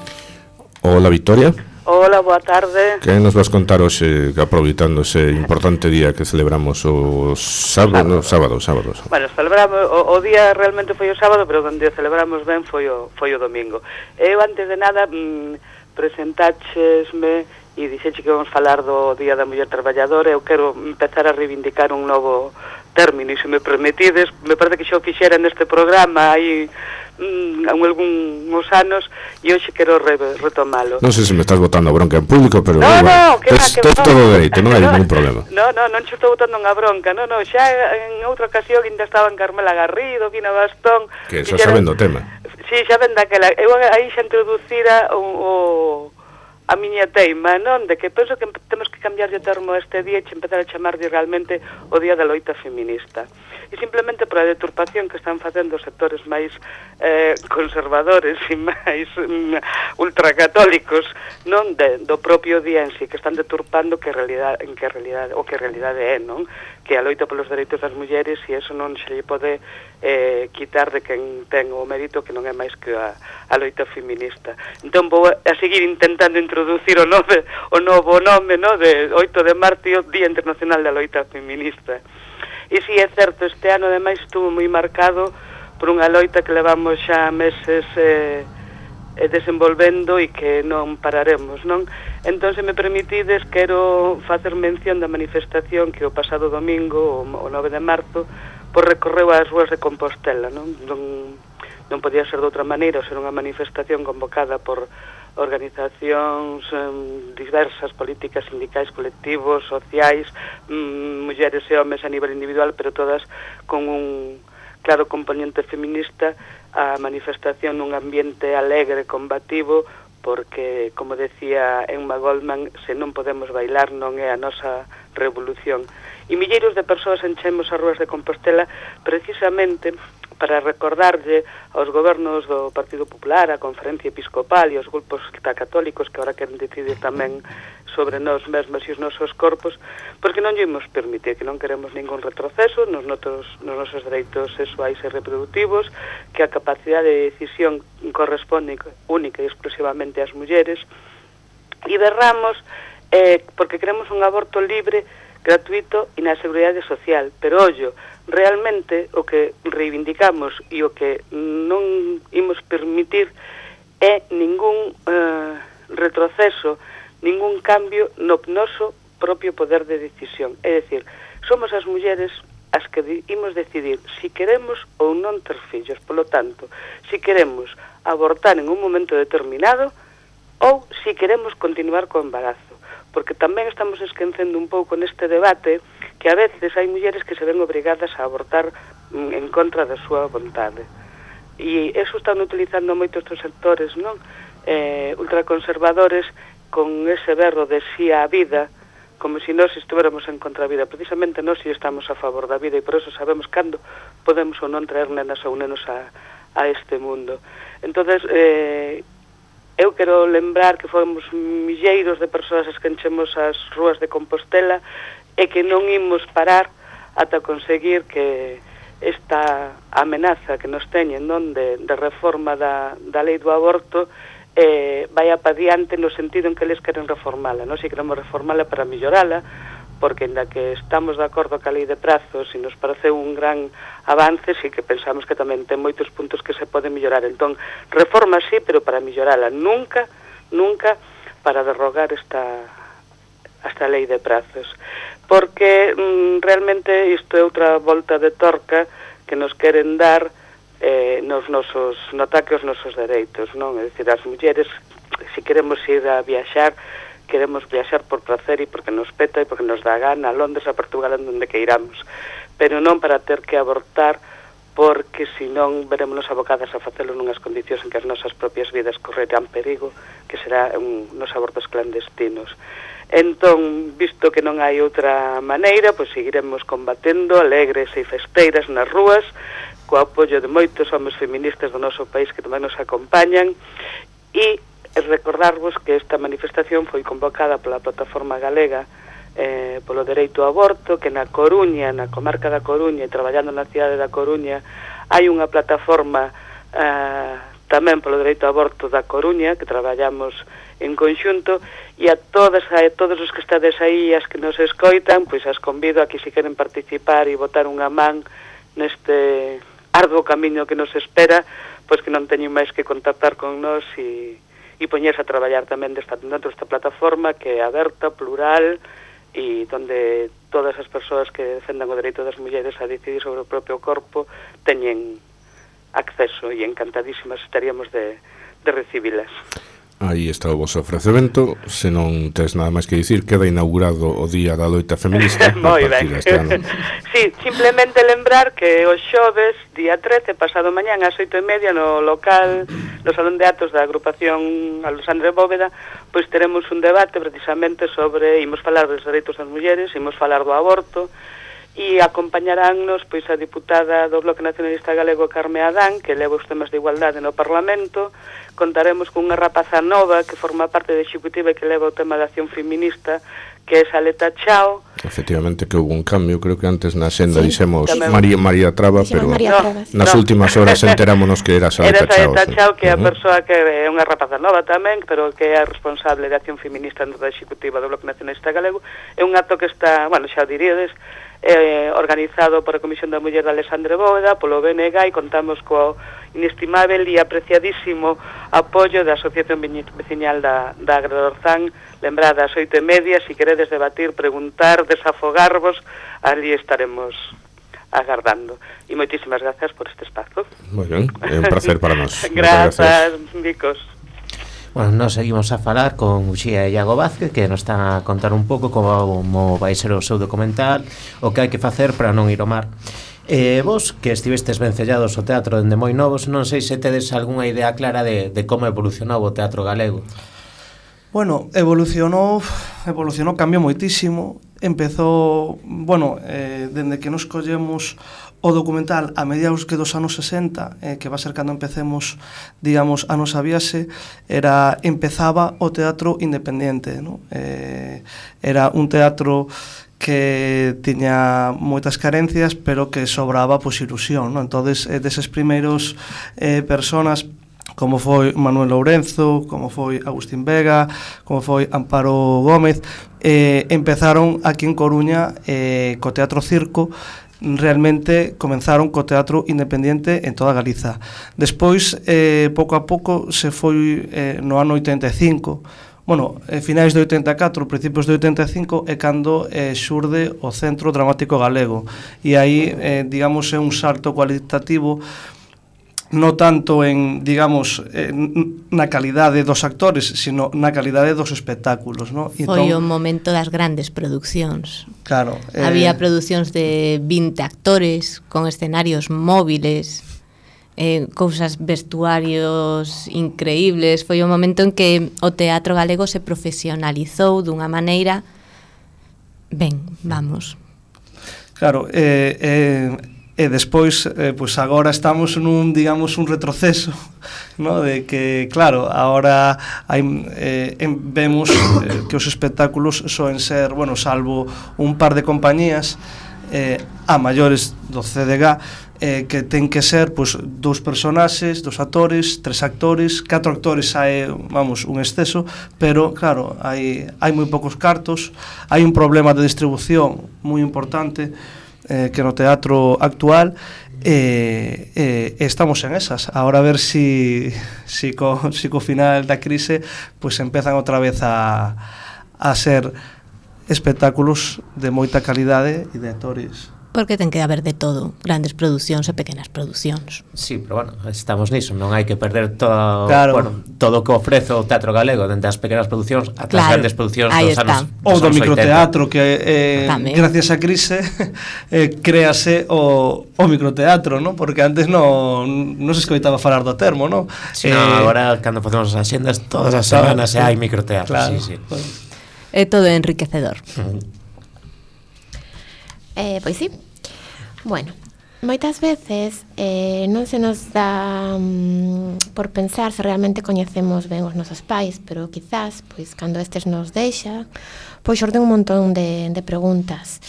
Hola, Victoria. Hola, boa tarde. Que nos vas contar hoxe, aproveitando ese importante día que celebramos o sábado, no, sábado, sábado. Bueno, celebramos, o, o día realmente foi o sábado, pero onde o celebramos ben foi o, foi o domingo. Eu, antes de nada, mmm, presentáchesme e dixeche que vamos falar do Día da Muller Traballadora. Eu quero empezar a reivindicar un novo término, e se me permitides, me parece que xa o fixera neste programa hai mm, algúns anos, e hoxe quero re, retomalo. Non sei se me estás botando a bronca en público, pero no, bueno, no, que tes, va, que tes va, todo no. dereito, non hai no, ningún problema. No, no, non che estou botando unha bronca, no, no, xa en outra ocasión ainda estaba en Carmela Garrido, Vina Bastón. Que xa saben do tema. Sí, xa ven daquela. Eu aí xa introducira o, o a miña teima, non? De que penso que temos que cambiar de termo este día e empezar a chamarlle realmente o Día da Loita Feminista. E simplemente por a deturpación que están facendo os sectores máis eh, conservadores e máis mm, ultracatólicos, non? De, do propio día en sí, que están deturpando que realidade, en que realidade, o que realidade é, non? Que a loita polos dereitos das mulleres, e eso non se lle pode eh, quitar de quen ten o mérito, que non é máis que a, a loita feminista. Entón vou a, a seguir intentando introducir o, nove, o novo nome, no? De oito de marzo, Día Internacional da Loita Feminista. E si é certo, este ano ademais estuvo moi marcado por unha loita que levamos xa meses eh, eh, desenvolvendo e que non pararemos, non? Entón, se me permitides, quero facer mención da manifestación que o pasado domingo, o nove de marzo, por recorreu as ruas de Compostela, non? Non, non podía ser de outra maneira, ser unha manifestación convocada por organizacións um, diversas, políticas, sindicais, colectivos, sociais, um, mulleres e homes a nivel individual, pero todas con un claro componente feminista, a manifestación nun ambiente alegre, combativo, porque, como decía Emma Goldman, se non podemos bailar non é a nosa revolución. E milleiros de persoas enchemos as ruas de Compostela precisamente para recordarlle aos gobernos do Partido Popular, a Conferencia Episcopal e aos grupos católicos que ahora queren decidir tamén sobre nós mesmos e os nosos corpos, porque non lle imos permitir, que non queremos ningún retroceso nos, notos, nos nosos dereitos sexuais e reproductivos, que a capacidade de decisión corresponde única e exclusivamente ás mulleres, e berramos eh, porque queremos un aborto libre, gratuito e na seguridade social. Pero, ollo, realmente o que reivindicamos e o que non imos permitir é ningún eh, retroceso, ningún cambio no noso propio poder de decisión. É dicir, somos as mulleres as que imos decidir si queremos ou non ter fillos. Polo tanto, si queremos abortar en un momento determinado ou si queremos continuar co embarazo. Porque tamén estamos esquecendo un pouco neste debate que a veces hai mulleres que se ven obrigadas a abortar en contra da súa vontade. E eso están utilizando moitos estes sectores, non? Eh, ultraconservadores con ese berro de sí á vida, como se si nós estuéramos en contra da vida. Precisamente nós si estamos a favor da vida e por eso sabemos cando podemos ou non traer nenas ou nenos a, a este mundo. Entonces, eh, eu quero lembrar que fomos milleiros de persoas as que enchemos as ruas de Compostela e que non imos parar ata conseguir que esta amenaza que nos teñen, non, de, de reforma da, da lei do aborto eh, vaya pa diante no sentido en que eles queren reformala, non? Si queremos reformala para millorala, porque ainda que estamos de acordo ca lei de prazos e nos parece un gran avance, sí que pensamos que tamén ten moitos puntos que se pode mellorar. Entón, reforma sí, pero para mellorala, nunca, nunca para derrogar esta, esta lei de prazos. Porque mm, realmente isto é outra volta de torca que nos queren dar eh, nos nosos, no ataque aos nosos dereitos, non? É dicir, as mulleres, se queremos ir a viaxar, queremos viaxar por placer e porque nos peta e porque nos dá gana, a Londres, a Portugal, onde que iramos, pero non para ter que abortar, porque senón veremos abocadas a facelo nunhas condicións en que as nosas propias vidas correrán perigo, que será un, nos abortos clandestinos. Entón, visto que non hai outra maneira, pois seguiremos combatendo alegres e festeiras nas rúas, co apoio de moitos homes feministas do noso país que tamén nos acompañan, e e recordarvos que esta manifestación foi convocada pola Plataforma Galega eh, polo Dereito ao Aborto, que na Coruña, na comarca da Coruña e traballando na cidade da Coruña, hai unha plataforma eh, tamén polo Dereito ao Aborto da Coruña, que traballamos en conxunto, e a todas a todos os que estades aí, as que nos escoitan, pois as convido a que se queren participar e botar unha man neste arduo camiño que nos espera, pois que non teñen máis que contactar con nós e, e poñerse a traballar tamén desta, dentro desta plataforma que é aberta, plural, e donde todas as persoas que defendan o dereito das mulleres a decidir sobre o propio corpo teñen acceso, e encantadísimas estaríamos de, de recibilas. Aí está o vosso ofrecemento. Se non tes nada máis que dicir, queda inaugurado o Día da Loita Feminista. Moi ben. Sí, simplemente lembrar que o xoves, día trece, pasado mañán, ás oito e media, no local, no Salón de Atos da agrupación Alexandre Bóveda, pois teremos un debate precisamente sobre, imos falar dos dereitos das mulleres, imos falar do aborto, e acompañaránnos pois a diputada do Bloque Nacionalista Galego, Carme Adán, que leva os temas de igualdade no Parlamento. Contaremos con unha rapaza nova que forma parte da executiva e que leva o tema de acción feminista, que é Saleta Chao. Efectivamente que hubo un cambio, creo que antes na senda sí, dixemos María, María Traba, pero María Traba, sí. nas no. últimas horas enterámonos que era Saleta Chao. Era Saleta Chao, que é a uh-huh. persoa que é unha rapaza nova tamén, pero que é a responsable de acción feminista da executiva do Bloque Nacionalista Galego. É un acto que está, bueno, xa o diríades, eh, organizado por a Comisión da Muller de Alexandre Bóveda, polo B N G, e contamos co inestimable e apreciadísimo apoio da Asociación Veciñal da, da Agradorzán. Lembrada ás oito e media, se si queredes debatir, preguntar, desafogarvos, ali estaremos agardando. E moitísimas grazas por este espazo. Moi ben, é un placer para nós. Grazas, Vicos. Bueno, nos seguimos a falar con Uxía e Iago Vázquez, que nos están a contar un pouco como vai ser o seu documental, o que hai que facer para non ir ao mar. Eh, vos, que estivestes vencellados ao teatro dende moi novos, non sei se tedes algunha idea clara de, de como evolucionou o teatro galego. Bueno, evolucionou, evolucionou, cambiou moitísimo. Empezou, bueno, eh, dende que nos collemos o documental a mediados que dos anos sesenta, eh, que va a ser cando empecemos, digamos, a nosa viaxe, era, empezaba o teatro independente, ¿no? Eh, era un teatro que tiña moitas carencias, pero que sobraba, pois, ilusión, ¿no? Entonces, eh, deses primeiros eh, personas, como foi Manuel Lourenzo, como foi Agustín Vega, como foi Amparo Gómez, eh, empezaron aquí en Coruña eh, co Teatro Circo. Realmente comenzaron co teatro independiente en toda Galiza. Despois, eh, pouco a pouco, se foi eh, no ano oitenta e cinco, bueno, eh, finais de oitenta e catro, principios de oitenta e cinco, é cando eh, xurde o Centro Dramático Galego. E aí, eh, digamos, é un salto cualitativo, no tanto en, digamos, eh, na calidade dos actores, sino na calidade dos espectáculos, ¿no? Foi entón, o momento das grandes producións. Claro. Eh, Había producións de vinte actores, con escenarios móviles, eh, cousas, vestuarios increíbles. Foi o momento en que o teatro galego se profesionalizou dunha maneira, ben, vamos. Claro, eh... eh e despois, eh, pois agora estamos nun, digamos, un retroceso, ¿no? De que, claro, agora hai, eh, vemos eh, que os espectáculos soen ser, bueno, salvo un par de compañías eh, a maiores do C D G, eh, que ten que ser, pois, dous personaxes, dos actores, tres actores, catro actores hai, vamos, un exceso, pero, claro, hai, hai moi poucos cartos, hai un problema de distribución moi importante, Eh, que no teatro actual, eh, eh, estamos en esas. Ahora a ver si, si, co, si co final da crise pues empezan outra vez a, a ser espectáculos de moita calidade e de actores. Porque ten que haber de todo, grandes producións e pequenas producións. Sí, pero bueno, estamos niso, non hai que perder todo, claro. bueno, todo o que ofrece o teatro galego, dende as pequenas producións ata claro, as grandes producións dos anos, ou do microteatro, que eh, gracias á crise eh, créase o, o microteatro, ¿no? Porque antes non non se escoitaba falar do termo, ¿no? Sí, eh, no, agora cando facemos as axendas todas as semanas claro, hai microteatro, claro, sí, sí. É todo enriquecedor. Uh-huh. Eh, pois sí. Bueno, moitas veces eh, non se nos dá um, por pensar se realmente coñecemos ben os nosos pais, pero quizás, pois, cando estes nos deixa, pois xorden un montón de, de preguntas.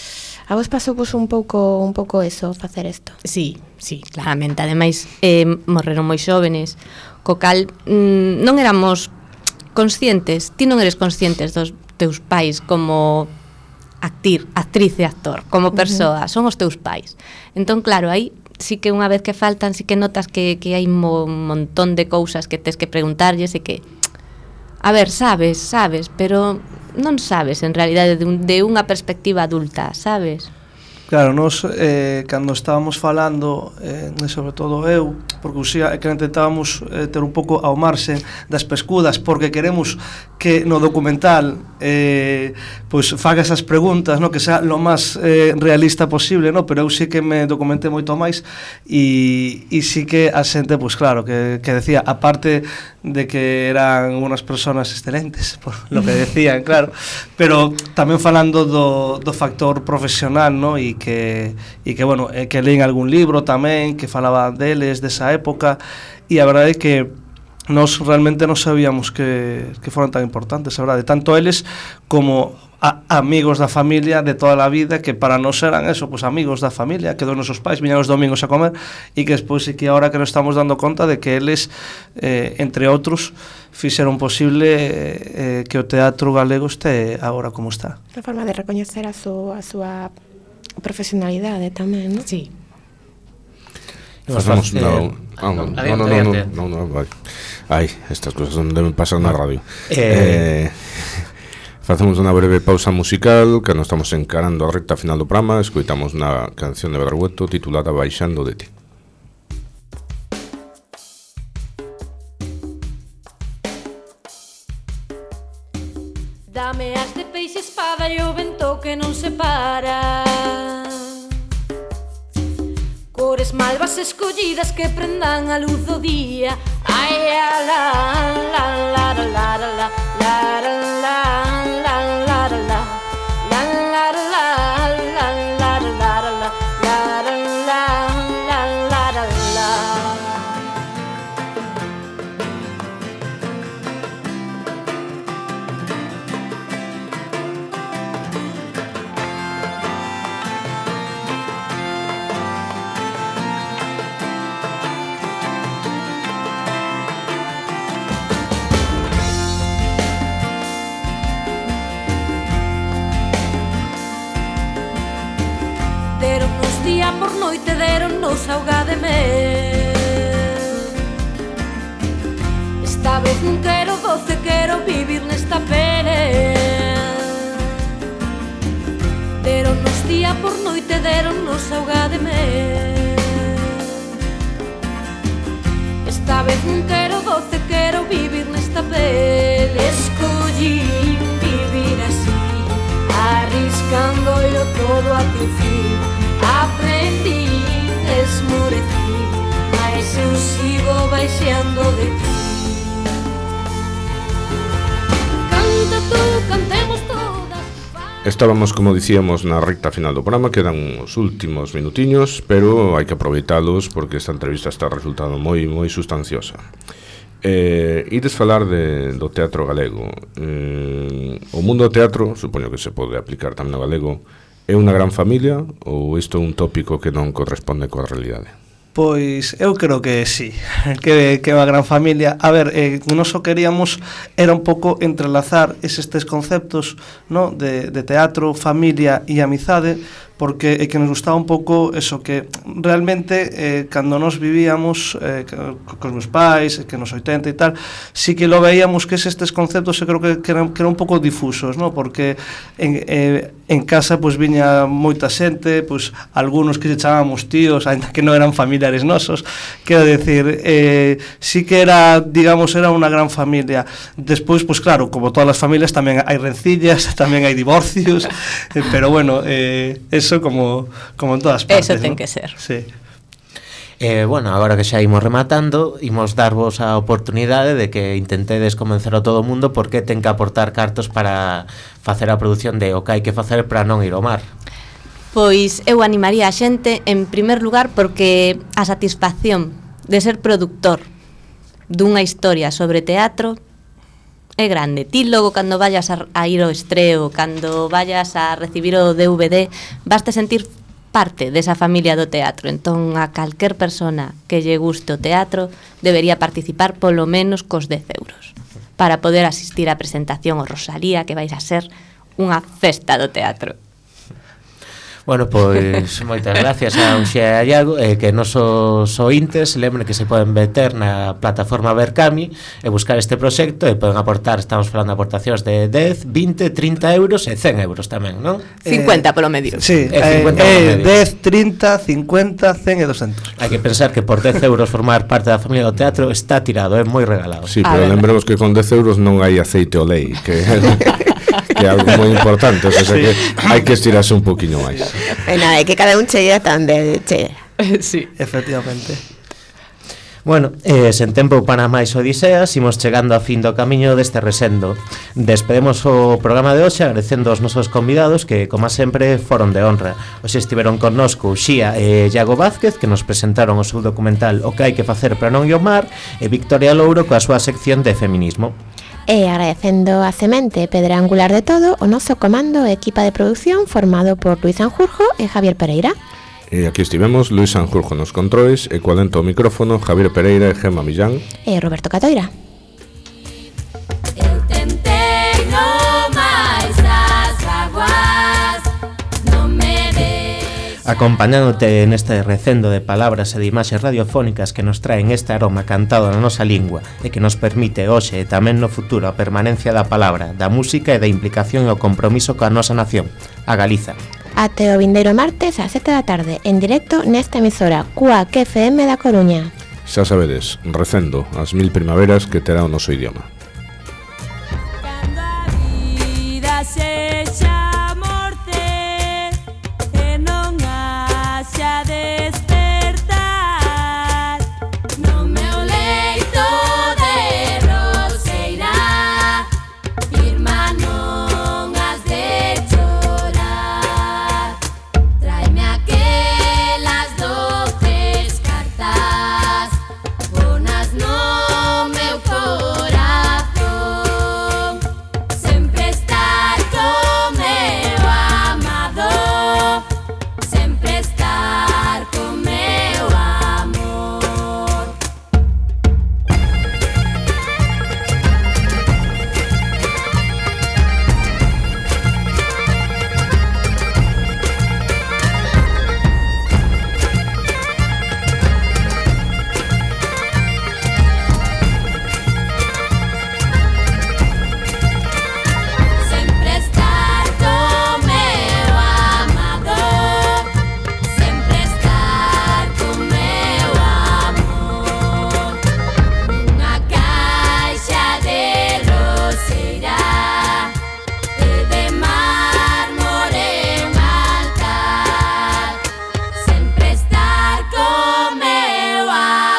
A vos pasou vos un pouco un pouco eso, facer isto? Sí, sí, claramente. Ademais, eh, morreron moi xóvenes, co cal mm, non éramos conscientes, ti non eres conscientes dos teus pais como actir, actriz e actor, como persoa, uh -huh. son os teus pais. Entón, claro, aí sí que unha vez que faltan, sí que notas que, que hai un montón de cousas que tes que preguntarlles e que, a ver, sabes, sabes, pero non sabes, en realidade, de, un, de unha perspectiva adulta, sabes? Claro, nos, eh, cando estábamos falando, eh, sobre todo eu, porque usía, que intentábamos eh, ter un pouco ao marxe das pescudas, porque queremos que no documental eh, pois faga esas preguntas, no, que sea lo máis eh, realista posible, no, pero eu sí que me documenté moito máis e, e sí que a xente, pois claro, que, que decía, aparte de que eran unas personas excelentes, por lo que decían, claro, pero tamén falando do, do factor profesional, no, e que, e que, bueno, eh, que leín algún libro tamén que falaba deles, desa época, e a verdade é que nós realmente non sabíamos que, que foran tan importantes, a verdade, tanto eles como a, amigos da familia de toda a vida, que para nós eran eso, pues amigos da familia, que dos nosos pais viñan os domingos a comer, e que despois e que agora que nos estamos dando conta de que eles, eh, entre outros, fixeron posible eh, que o teatro galego este agora como está. Unha forma de recoñecer a, su, a súa profesionalidade tamén, non? Sí. Facemos no, no, no, no, no, no, no, vai. Ai, estas cousas non deben pasar na radio. Eh, facemos unha breve pausa musical, que non estamos encarando a recta final do programa, escoitamos unha canción de Berrueto titulada Baixando de ti. Dame as de peixe, espada e o vento que non se para. Cores malvas escollidas que prendan a luz do día. Ai, la, la, la, la, la, la, la, la, la, la, la, la, la, la, la, día por noite deronnos auga de mel. Esta vez non quero doce, quero vivir nesta pele. Deronnos día por noite, deronnos auga de mel. Esta vez non quero doce, quero vivir nesta pele. Escollí vivir así, arriscándolo todo a ti fin. Aprendí, esmorecí, mas eu sigo baixando de ti. Canta tú, cantemos todas. Estábamos, como dicíamos, na recta final do programa. Quedan os últimos minutiños, pero hai que aproveitalos porque esta entrevista está resultando moi moi sustanciosa. Eh, ides falar de, do teatro galego. Eh, o mundo do teatro, supoño que se pode aplicar tamén ao galego, é unha gran familia ou isto é un tópico que non corresponde coa realidade? Pois eu creo que sí, que, que é unha gran familia. A ver, eh, non só queríamos era un pouco entrelazar eses tres conceptos, no? de, de teatro, familia e amizade, porque é que nos gustaba un pouco eso, que realmente eh, cando nos vivíamos eh, cos meus pais, que nos oitenta e tal, sí que lo veíamos que estes conceptos eu creo que, que, eran, que eran un pouco difusos, no? Porque en, eh, en casa pois viña moita xente, pois algunos que se chamábamos tíos, ainda que non eran familiares nosos, quero decir, eh, sí que era, digamos, era unha gran familia. Despois, pois claro, como todas as familias tamén hai rencillas, tamén hai divorcios, eh, pero bueno, eh, eso como, como en todas partes. Eso ten, ¿no? Que ser. Sí. Eh, bueno, agora que xa imos rematando, imos darvos a oportunidade de que intentedes convencer a todo o mundo porque ten que aportar cartos para facer a produción de o que hai que facer para non ir ao mar. Pois eu animaría a xente, en primer lugar, porque a satisfacción de ser productor dunha historia sobre teatro é grande. Ti logo cando vayas a, a ir ao estreo, cando vayas a recibir o D V D, vaste sentir parte desa familia do teatro. Entón, a calquer persona que lle guste o teatro debería participar polo menos cos dez euros para poder asistir á presentación o Rosalía, que vais a ser unha festa do teatro. Bueno, pois moitas gracias a Uxía e a Iago, eh, que nosos ointes lembren que se poden meter na plataforma Berkami e buscar este proxecto e poden aportar, estamos falando de aportacións de dez, vinte, trinta euros e cen euros tamén, non? cincuenta polo medio. Sí, eh, eh, eh, dez, trinta, cincuenta, cen e doscientos. Hai que pensar que por dez euros formar parte da familia do teatro está tirado, é moi regalado. Sí, pero lembremos que con dez euros non hai aceite o lei, que que é algo moi importante, o sea, sí, que hai que estirarse un poquinho máis. E nada, é que cada un chega tamén chega. Sí, efectivamente. Bueno, eh, sen tempo para máis odiseas, imos chegando a fin do camiño deste resendo. Despedemos o programa de hoxe agradecendo aos nosos convidados que, como sempre, foron de honra. Hoxe estiveron connosco Uxía e Iago Vázquez, que nos presentaron o seu documental O que hai que facer para non iomar, e Victoria Louro coa súa sección de feminismo. E agradecendo a semente pedra angular de todo o noso comando e equipa de produción formado por Luis Sanjurjo e Javier Pereira. E aquí estivemos Luis Sanjurjo nos controis e coa dentro o micrófono Javier Pereira e Gemma Millán e Roberto Catoira. Eu tentei no máis as aguas, non me ves. Acompañándote neste recendo de palabras e de imaxes radiofónicas que nos traen este aroma cantado na nosa lingua e que nos permite hoxe e tamén no futuro a permanencia da palabra, da música e da implicación e o compromiso coa nosa nación, a Galiza. Até o vindeiro martes ás sete da tarde, en directo nesta emisora Q A C F M da Coruña. Xa sabedes, recendo as mil primaveras que terá o noso idioma.